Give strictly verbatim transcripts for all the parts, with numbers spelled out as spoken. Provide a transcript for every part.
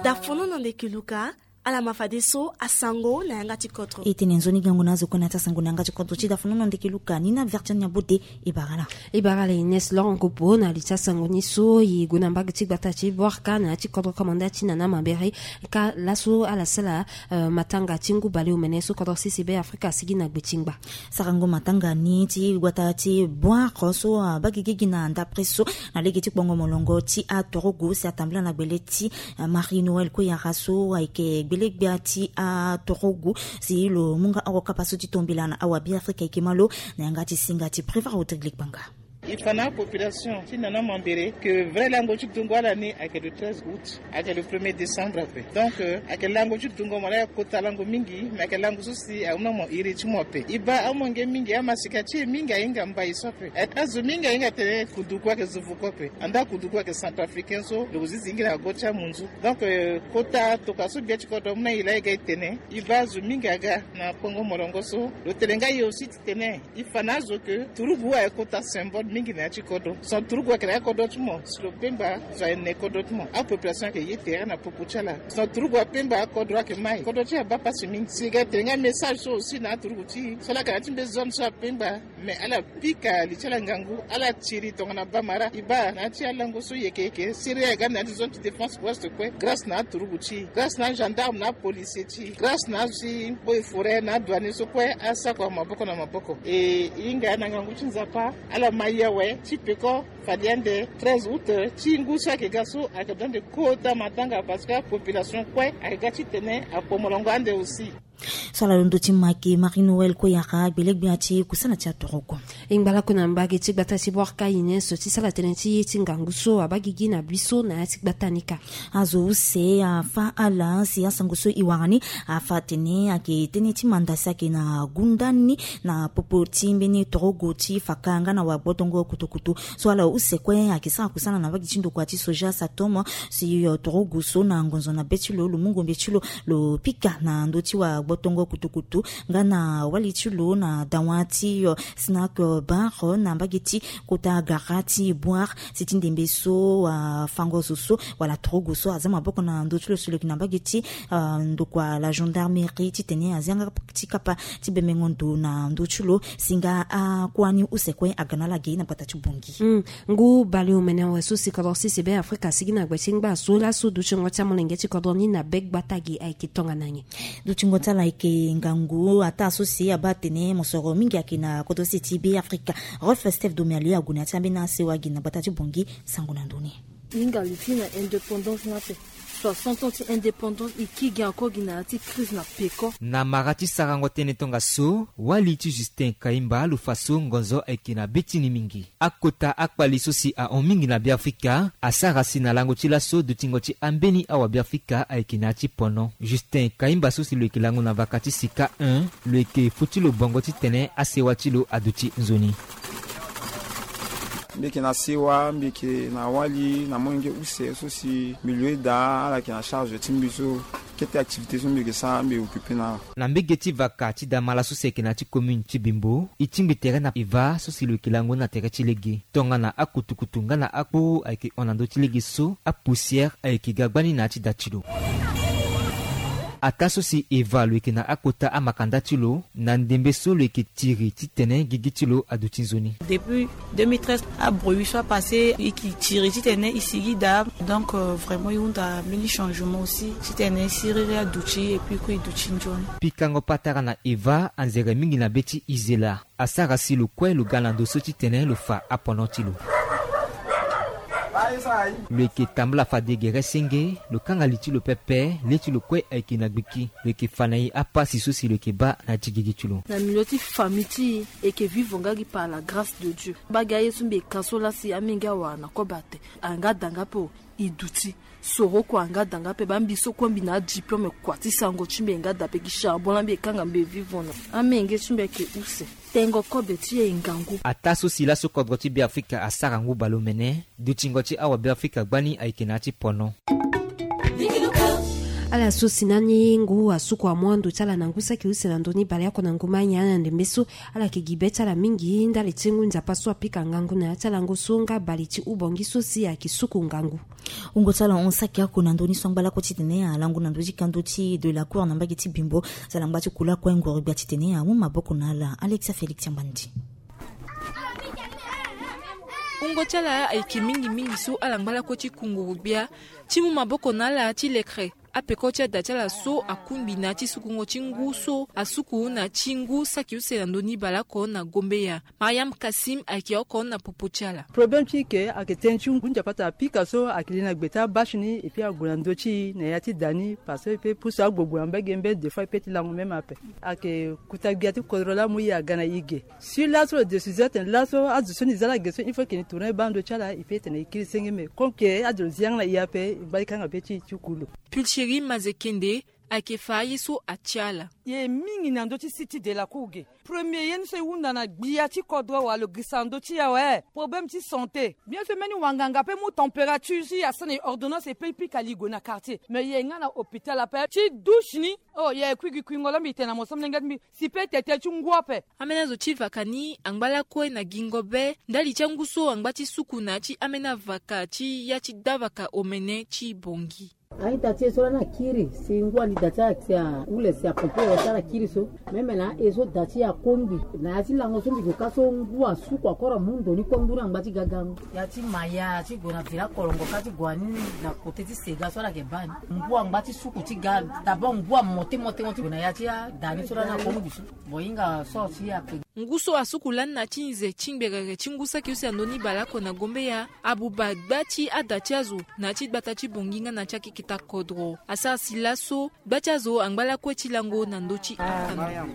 Dafono na ndeke luka. Ala ma fadeso asango na yanga ti kodro. E tene nzoni gango na azo kue na ya ti asango na yanga ti kodro ti dafono na ndeke luka ni na vertian ya bote. E bara la. E bara la ines lorongo po na li ti asango ni so e gue na mbage ti gbata ti borka na ya ti kodro komanda ti nana mabere. Ka laso ala sala matanga ti ngu baleomene so kodro sisi be afrika asigi na gbe ti ngba. Sarango matanga ni ti gbata ti boire so abagegegi na ndapre so na lege ti kpongo molongo ti atorogo si atambula na gbele ti marie noël koyara so ayeke gbelegbia ti atorogo. Si lo mu nga oko kapa so ti tombela na awabiafrika ayeke ma lo na yanga ti singa ti préva rodrigue likpanga. E fa na apopulation ti nana mambere ke vrai lango ti dungo ala ni ayeke le treize août, ayeke le premier décembre ape. Donc ayeke lango ti dungo mo laa ayeke kota lango mingi. Me ayeke lango so si amu na mo iri ti mo ape. E baa amolenge mingi amasika ti e mingi ahinga mbai so ape. Azo mingi ahinga tene kundu kue ayeke zo vuku ape. Andaa kundu kue ayeke centrafricain so lo zizi hingi na go ti amunzu. Donc kota tokua so gbia ti kodro amu na e laa e ga e tene. E baa azo mingi aga na kpongo molongo so lo tene nga e aussi ti tene. E fa na azo ke turugu ayeke kota symbole mingi na ya ti kodro. Son turugu ayeke na ya kodro ti mo si lo pemba zo ayeke na kodro ti mo. Apopulation ayeke ye tere na popo ti ala. Son turugu apemba akodro ayeke mai kodro ti abaa pasi mingi si e ga e tene nga message so aussi na aturugu ti e so ala yeke na ya ti mbe zone so apemba. Me ala pika li ti ala ngangu ala tiri tongana bamara e baa na ya ti alango so yeke yeke siri aga na ya ti zone ti défense ouest kue grâce na aturugu ti e grâce na agendarme na apolicier ti e grâce na azo ti eaux et forêt na adouanier so kue asako maboko na maboko. E hinga na ngangu ti nzapa ala ma ye awe ti peko. Fade ande treize août ti ngu so ayeke ga so ayeke daa nde kota matanga parce que apopulation kue ayeke ga titene akpo molongo ande aussi. So ala londo ti make marie noël koyaka gbelegbia ti kusana ti atorogo. E ngba lakue na mbage ti gbata ti borka ines ti sala tënë ti ye ti ngangu so abaa gigi na biso na ya ti gbata ni ka. Azo use afa ala si asango so e wara ni afa atene ayeke tënë ti manda si ayeke na gunda ni na popo ti mbeni torogo ti faka nga na wagbotongo kutukutu. So ala use kue ayeke sara kusana na mbage ti ndokua ti soja satom si torogo so na ngonzo na be ti lo lo mu ngombe ti lo lo pika na ndö ti wagbotongo kutukutu nga na wali ti lo na dawa ti snack bar na mbage ti kota gara ti boire. Si ti ndembe so afango zo so wala torogo so aza maboko na ndö ti lo si lo yeke na mbage ti ndokua la gendarmerie titene azia nga ti kapa ti bemengo ndo na ndö ti lo. Si nga akua ni use kue aga na ala ge na gbata ti bongi. Ngu baleomene awe so si kodro sisi be afrika asigi na gbe ti ngba so laso dutingo ti amolenge ti kodro ni na be gbata ge ayeke tongana nyen? Dutingo ti ala ayeke ngangu ataa so si abaa atene mosoro mingi ayeke na kodro sisi ti be afrika. Rolf steph domiali ague na ya ti ambeni asewa gi na gbata ti bongi. Sango na ndoni. Hinga li ti na indépendance ni ape. Soixante ans ti indépendance e kiri gi encore gi na ya ti crise na peko. Na mara ti sarango tënë tongaso wali ti justin kaimba lo fa so ngonzo ayeke na be ti ni mingi. Akota akpali so si ahon mingi na beafrika asara si na lango ti laso dutingo ti ambeni awabeafrika ayeke na ya ti pono. Justin kaimba so si lo yeke lango na vaka ti sika un lo yeke fo ti lo bongo titene asewa ti lo aduti nzoni. Mbi yeke na sewa mbi yeke na wali na molenge use so si mbi loue daa ala yeke na charge ti mbi so kete activité so mbi yeke sara mbi yeke occupe na ala. Na mbege ti vaka ti damala so si ayeke na ya ti commune ti bimbo e tingbi tere na eva so si lo yeke lango na tere ti lege. Tongana akutukutu nga na akpo ayeke hon na ndö ti lege so apoussière ayeke ga gbani na ya ti da ti lo. Ataa so si eva lo yeke na akota amakanda ti lo na ndembe so lo yeke tiri titene gigi ti lo aduti nzoni. Depuis deux mille treize abruit so apasse e ki tiri titene e sigi daa. Donc vraiment e hunda mbeni changement aussi titene siriri aduti et puis kue e duti nzoni. Pikango patara na eva anzere mingi na be ti izela. Asara si lo kue lo ga na ndo so titene lo fa apono ti lo. Lo yeke tambula fade gere senge lo kanga li ti lo pepe le ti lo kue ayeke na gbiki. Lo yeke fa na e apasi so si lo yeke baa na ya ti gigi ti lo. Na milieu ti famille ti e e yeke vivre nga gi par la grâce de dieu. Baa gi aye so mbi yeke ka so laa si amenge awara na kobe ate. Ayeke nga da nga ape o. E duti soro kua nga da nga ape baa mbi so kue mbi na adiplome kua ti sango ti mbi ayeke nga da ape gi charbon laa mbi yeke kanga mbi e vivre na amenge ti mbi ayeke use. Tengo kobe ti e ngangu. Ataa so si laso kodro ti beafrika asara ngu baleomene. Dutingo ti awabeafrika gbani ayeke na ya ti pono. Ala so si na ni ngu asuku amu ando ti ala na ngu saki use na ndö ni baleoko na ngu mai ni, ala na ndembe so ala yeke gi be ti ala mingi ndali ti ngu nzapa so apika ngangu na ya ti alango so nga bale ti ubongi so si ayeke suku ngangu. Wungo ti ala hon saki oko na ndö ni so angba lakue titene alango na ndö ti kando ti de la cour na mbage ti Bimbo. Ti ala ngba ti kula kue ngoro gbia titene amu maboko na ala. Alexia Félix Ambandi. Wungo ti ala ayeke mingi mingi so ala ngba lakue ti ku ngoro gbia ti mu maboko na ala ti lekere apeko ti ada ti ala so akungbi na ya ti sukungo ti ngu so asuku na ti ngu saki use na ndö ni baleoko na Gombeya. Mariam Kassim ayeke oko na popo ti ala. Problème ti ke ayeke tënë ti ngu nzapa ti apika so ayeke li na gbe ti abâche ni, et puis ague na ndö ti e na ya ti da ni parce que e peut pusu agbogbo na mbage mbeni, des fois e peut ti lango même ape. Ayeke kuta gbia ti kodro laa amu e aga na e ge. Si laso lo décision atene laso azo so ni za ala ge so il faut ke ni tourner baa ndö ti ala, e peut tene e kiri senge, mais comme ke azo lo zi yanga na e ape, e ngba ti kanga be ti e ti ku lo. Pulchérie Mazekende ayeke fa aye so atia ala. E ye mingi na ndö ti site de la cour ge. Premier ye ni so e hunda na gbia ti kodro wala lo girisa na ndö ti e awe, problème ti santé. Bien sûr mbeni wanganga peut mu température si asara na e ordonnance, e peut e pika li gue na quartier, mais e ye nga na hôpital ape ti douche ni. Oh, e ye kui gi kuingo la mbi tene na mo so molenge ti mbi. Si peut tete ti ngu ape. Ambeni azo ti vaka ni angba lakue na gingo be ndali ti angu so angba ti suku na ya ti ambeni avaka ti ya ti davaka omene ti Bongi. A-ita ti e so lani akiri si ngu andi da ti ala si ahule si apompe wala ti ala kiri so. Meme na aye so da ti e akongbi na ya ti lango so mbi gue ka so ngu asuku akoro amu ndo ni kue ngu ni angba ti gagango. Ya ti maya ti gue na vila kolongo ka ti gue ani na kote ti sega so ala yeke baa ni. Ngu angba ti suku ti ga. D'abord ngu amote mote mo ti gue na ya ti ada ni so lani akongbi so. Bon, hinga so ti ape. Ngu so asuku lani na ti nze ti ngberere ti ngu saki use na ndö ni baleoko na Gombeya abuba gba ti ada ti azo na ya ti gbata ti Bongi nga na ya ti akeketa kodro. Asara si laso gba ti azo angba lakue ti lango na ndö ti akanga.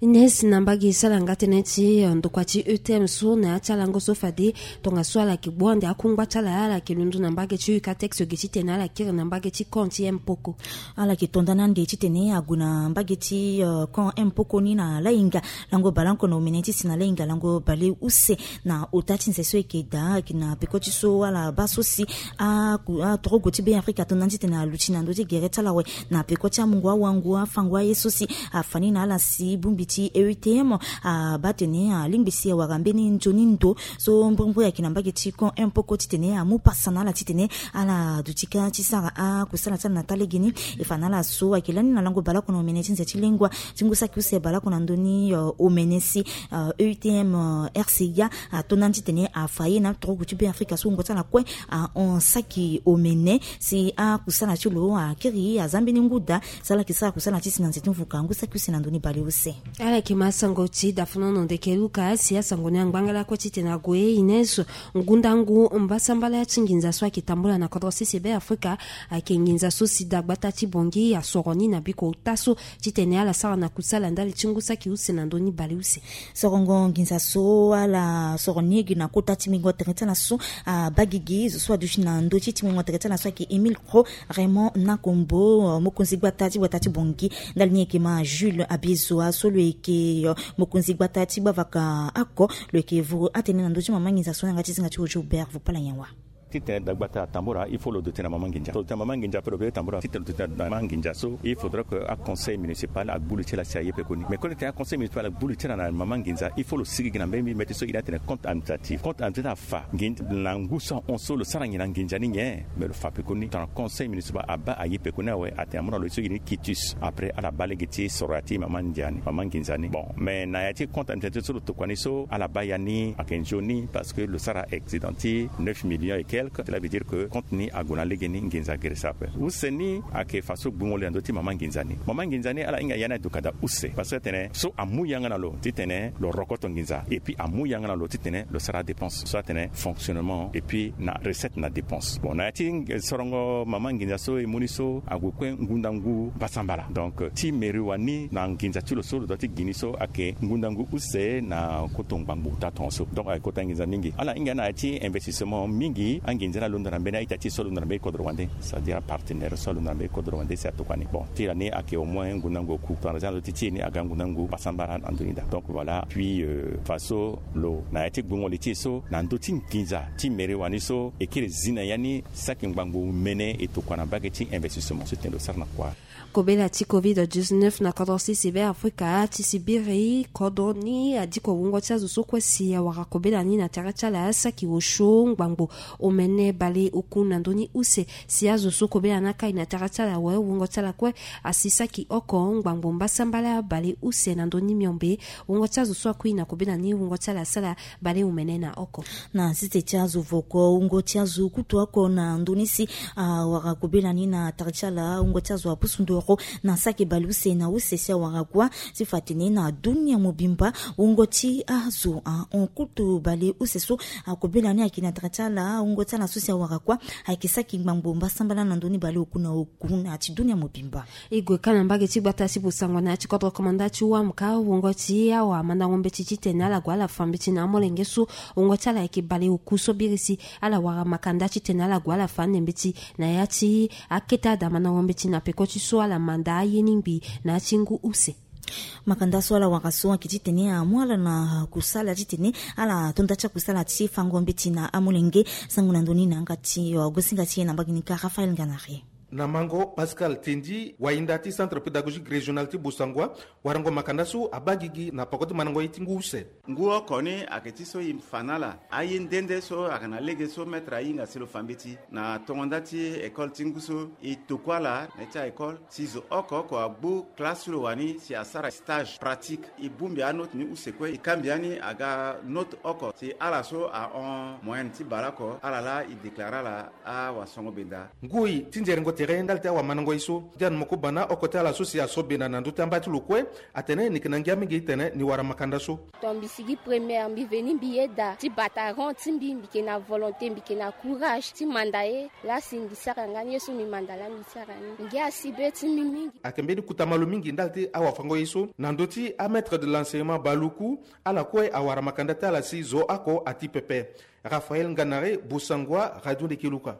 Ines na mbage so ala nga tënë ti, eh, ndokua ti E T M so na ya ti alango so fade tongaso ala yeke gbu ande akungba ti ala, ala yeke londo na mbage ti Ucatex ge titene ala kiri na mbage ti camp ti Mpoko. Ala yeke to nda ni ande titene ague na mbage ti, eh, camp Mpoko ni na lahinga lango baleoko na omene ti si na lahinga lango baleuse na ota ti nze so e yeke daa, ayeke na peko ti so ala baa so si aku-, atorogo ti Be Afrika ato nda ni titene aluti na ndö ti gere ti ala awe. Na peko ti amungo awango afango aye so si afa ni na ala si bongbi ti E U T M abaa tene alingbi si awara mbeni nzoni ndo so mbrimbri ayeke na mbage ti camp Mpoko titene amu pasa na ala titene ala duti ka ti sara akusala ti ala na taa legeni. E fa na ala so ayeke lani na lango baleoko na omene ti nze ti lengua ti ngu saki use baleoko na ndö ni, eh, omene si, eh, E U T M, eh, R C A ato nda ni titene afa ye na atorogo ti Be Afrika so wungo ti ala kue ahon saki omene si akusala ti lo akiri aza mbeni ngu daa. Si ala yeke sara kusala ti si na nze ti mvuka ngu saki use na ndö ni baleuse. Ala yeke ma asango ti dafanono ndeke luka si asango ni angbanga lakue titene ague ine so ngundangu mbasambala ya ti nginza so ayeke tambula na kodro sese Be Afrika. Ayeke nginza so si dagbata ti Bongi asoro ni na biko ota so titene ala sara na kusala ndali ti ngu saki use na ndö ni baleuse. Sorongo nginza so ala soro ni ege na kota ti mingo tere ti ala so abaa gigi zo so aduti na ndö ti ti mingo tere ti ala so ayeke Émile Cro, Raymond Nakombo, mokonzi gbata ti gbata ti Bongi. Ndali ni e yeke ma Jules Abiezoa so lo yeke, eh, mokonzi gbata ti gbavaka oko, lo yeke vuru atene na ndö ti mama nginza so na yanga ti zinga ti Ojo Bervo Palanyawa. Titene dagbata atambula, il faut lo duti na mama nginza. Lo duti na mama nginza ape lo peut tambula. Titene lo duti na mama nginza so, il faudrait que aconseil municipal agbu li ti ala si aye pekoni. Mais koni titene aconseil municipal agbu li ti ala na mama nginza, il faut lo sigi gi na mbeni mbeti so e na tene compte administratif. Compte administratif afa nginza na ngu so ahon so lo sara nyen na nginza ni nyen. Mais lo fa pekoni tongana conseil municipal abaa aye pekoni awe, atene amu na lo so e ni quitus. Après ala baa lege ti soro ya ti mama nginza ni, mama nginza ni. Bon, mais na ya ti compte administratif so lo tokua ni so ala baa ya ni ayeke nzoni parce que lo sara accident ti neuf millions et quelques. Cela veut dire que compte ni ague na legeni, nginza gere sara ape. Use ni ayeke fa so gbungo li na ndö ti mama nginza ni. Mama nginza ni ala hinga ya ni aduka daa use parce que atene so amu yanga na lo titene lo rokoto nginza et puis amu yanga na lo titene lo sara dépense so atene fonctionnement et puis na recette na dépense. Bon, na ya ti sorongo mama nginza so e mu ni so ague kue ngundangu mbasambala. Donc ti mairie wani na nginza ti lo so lo doit ti gi ni so ayeke ngundangu use na koto ngbangbo ota tongaso. Donc ayeke kota nginza mingi. Ala hinga na ya ti investissement mingi Anginza ni alondo na mbeni a-ita ti e so alondo na mbeni kodro wande, c'est-à-dire apartenaire so alondo na mbeni kodro wande si atokua ni. Bon, ti la ni ayeke au moins ngu na ngu oku, tongana za na ndö ti ti e ni aga ngu na ngu mbasambala na ndö ni daa. Donc voilà. Puis euh, faso lo na ya ti gbungo li ti e so na ndö ti nginza ti mere wani so e kiri zi na ya ni saki ngbangbo mene e tokua na mbage ti investissement so tene lo sara na kua. Kobela ti covid dix-neuf na kodro ti sebe Afrika ti si biri kodro ni adiko wungo ti azo so kue si awara kobela ni na tere ti ala saki osio ngbangbo omene bale oku na ndö ni use. Si azo so kobela ni akai na tere ti ala awe, wungo ti ala kue asi saki oko ngbangbo mbasambala bale use na ndö ni miombe. Wungo ti azo so akui na kobela ni wungo ti ala asara bale omene na oko. Na sese ti azo voko wungo ti azo kutu oko na ndö ni si awara kobela ni na tere ti ala, wungo ti azo apusu ndoro na saki bale use na use si awara kua. Ti fa tene na dunia mobimba wungo ti azo ahon kutu bale use so akobela ni ayeke na tere ti ala, wungo ti ala so si awara kua ayeke saki ngbangbo mbasambala na ndö ni bale oku na oku na ya ti dunia mobimba. E gue ka na mbage ti gbata ti Bossangoa na ya ti kodro komanda ti wamka, wungo ti awamandango mbeti titene ala gue ala fa mbeti na amolenge so wungo ti ala ayeke bale oku so biri si ala wara makanda titene ala gue ala fa ande mbeti na ya ti akete adamandango mbeti na peko ti so ala manda aye ni ngbii na ya ti ngu use. Makanda so ala wara so ayeke titene amu ala na kusala titene ala to nda ti akusala ti fango mbeti na amolenge. Sango na ndö ni na yanga ti, uh, gosinga ti e na mbage ni kâ Raphaël Nganari. Na mango Pascal Tendi, wahinda ti Centre Pédagogique Régional ti Bossangoa, warango makanda so abaa gigi na peko ti mandango ye ti ngu use. Ngu oko ni ayeke ti so e fa na ala aye nde nde so ayeke na lege so maître ahinga si lo fa mbeti na tongo nda ti école ti ngu so. E tokua ala na ya ti a-école si zo oko oko agbu classe ti lo wani si asara stage pratique. E bongbi anote ni use kue, e kangbi ani aga note oko si ala so ahon moyenne ti baleoko, ala laa e déclare ala awasongo benda. Ngoi ti nzerengo tere ndali ti awamandango ye so, Diane Mokobana, oko ti ala so si aso benda na ndö ti amba ti lo kue, atene ni yeke na ngia mingi titene ni wara makanda so. Ton mbi sigi première, mbi veni mbi yeda ti bata rang ti mbi, mbi yeke na volonté, mbi yeke na courage ti manda ye. Laa si mbi sara nga ni ye so mbi manda laa mbi sara ni. Ngia asi be ti mbi mingi. Ayeke mbeni kota malo mingi ndali ti awafango ye so na ndö ti amaître de l'enseignement baleoku, ala kue awara makanda ti ala si zo oko ati pepe. Raphaël Nganare, Bossangoa, Radio Ndeke Luka.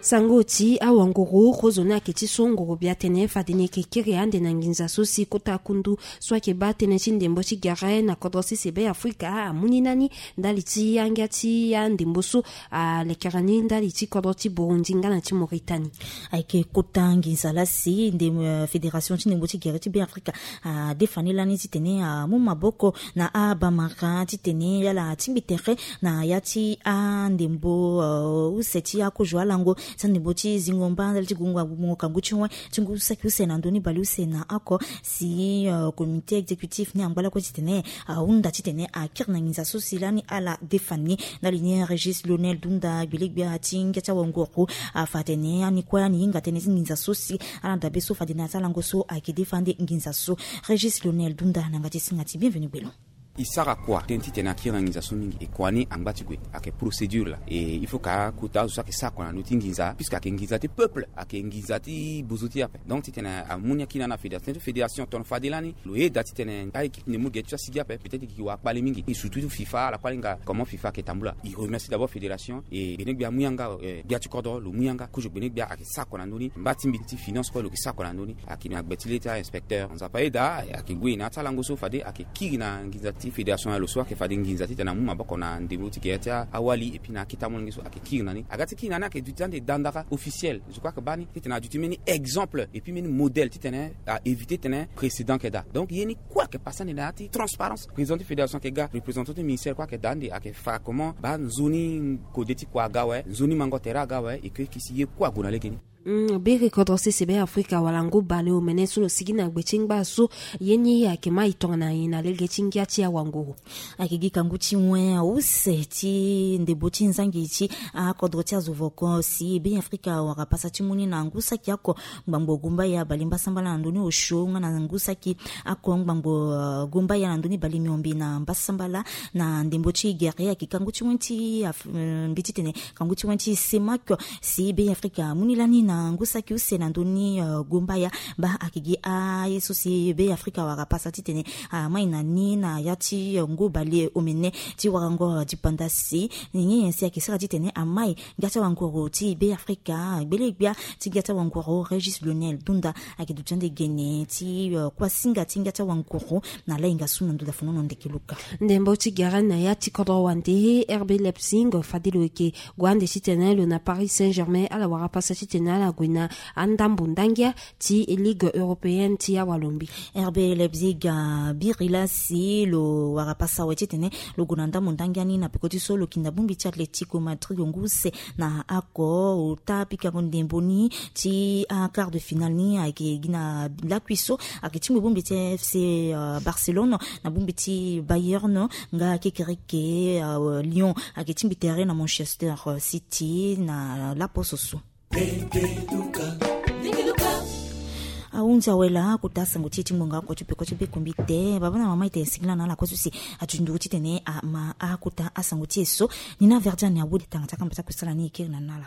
Sango ti awanguru, kozoni ayeke ti so nguru bia tene fade ni yeke kiri ande na nginza so si kota kundu so ayeke baa tënë ti ndembo ti gere na kodro ti sebe Afrika amu ni na ni ndali ti angia ti andembo so alekere ni ndali ti kodro ti Burundi nga na ti Mauritanie. Ayeke kota nginza laa si nde, euh, fédération ti ndembo ti gere ti Be Afrika adefa ni lani titene amu maboko na abamara titene ala tingbi tere na ya ti andembo, euh, use ti akozo alango ti andembo ti zingo mba ndali ti gungo agbongo kangu ti wen ti ngu saki use na ndö ni baleuse na oko. Si, euh, comité exécutif ni angba lakue titene ahunda titene akiri na nginza so si lani ala defa ni. Ndali ni Régis Lionel Dunda, gbelegbia ti ngia ti awanguru, afa atene ani kue ani hinga tënë ti nginza so si ala dabe so fade na ya ti alango so ayeke defa ande nginza so. Régis Lionel Dunda na yanga ti singa ti Bienvenu Gbelo. E sara kua tënë titene akiri na nginza so mingi. E kua ni angba ti gue, ayeke procédure laa. E il faut ka kota azo so ayeke sara kua na ndö ti nginza, puisque ayeke nginza ti peuple, ayeke nginza ti bozo ti e ape. Donc titene amu ni akiri na ala na fédération, fédération tongana fade lani lo yeda titene a-équipe ndembo gere ti so asigi ape, peut-être e yeke wara kpale mingi. E surtout FIFA, ala kue ala hinga comment FIFA ayeke tambula. E remercie d'abord fédération. E gbenegbia amu yanga, eh, gbia ti kodro lo mu yanga. Kozo gbenegbia ayeke sara kua na ndö ni. Mba ti mbi ti finance kue lo yeke sara kua na ndö ni. Ayeke na gbe ti le ti a-inspecteur. Nzapa ayeda, ayeke gue na ya ti alango so fade ayeke kiri na nginza ti fédération ya lo so ayeke fade nginza titene amu maboko na ndembo ti gere ti awali, et puis na akete amolenge so ayeke kiri na ni. Aga ti kiri na ni ayeke duti ande dandara officiel. Je crois que baa ni titene aduti mbeni exemple et puis mbeni modèle titene a éviter titene précédent ayeke daa. Donc ye ni kue ayeke pase ande na ya ti transparence. Président ti fédération ayeke ga, représentant ti ministère kue ayeke daa ande, ayeke fa comment baa nzoni kode ti kua aga awe, nzoni mango tere aga awe, e ke e ke si ye kue ague na lege ni. Mm, biri kodro sese Be Afrika wala ngu baleomene so lo sigi na gbe ti ngba so, ye ni ayeke ma e tongana nyen na lege ti ngia ti awanguru? Ayeke gi kangu ti wen use ti ndembo ti nzangi ti akodro ti azo voko si Be Afrika awara pasa ti mu ni na ngu saki oko ngbangbo gumbaya bale mbasambala na ndö ni osio nga na ngu saki oko ngbangbo, euh, gumbaya na ndö ni bale miombe na mbasambala na ndembo ti gere. Ayeke kangu ti wen ti af-, euh, mbi titene kangu ti wen ti semak si Be Afrika amu ni lani na ngu saki use na ndö ni. Gombaya baa ayeke gi aye so si Be Afrika awara pasa titene amai na ni na ya ti ngu bale omene ti warango dipanda si nyen nyen si ayeke sara titene amai ngia ti awanguru ti Be Afrika. Gbele-gbia ti ngia ti awanguru Régis Lionel Dunda ayeke duti ande gene ti kuasinga ti ngia ti awanguru na lainga so na ndö dafanono ndeke luka. Ndembo ti gere na ya ti kodro wande, R B Leipzig fade lo yeke gue ande titene lo na Paris Saint-Germain ala wara pasa titene ala gue na andambo ndangia ti Ligue européenne ti awalombi. R B Leipzig abiri laa si lo wara pasa awe titene lo gue na ndambo ndangia ni na peko ti so lo yeke na bongbi ti Atlético Madrid ngu use na ako. Ota pikango ndembo ni ti aquart de finale ni ayeke gi na lakui so ayeke tingbi bongbi ti F C Barcelone na bongbi ti Bayern nga kekereke Lyon ayeke tingbi tere na Manchester City na laposo so. Ahunzi awe laa akota asango ti e ti ngbonga oko ti peko ti be kombi te. Baba na mama, e tene singila na ala kue so si aju nduru titene ama akota asango ti e so. Ni na Verdiane awu de tanga ti akamba ti akosala ni e kiri na ni na ala.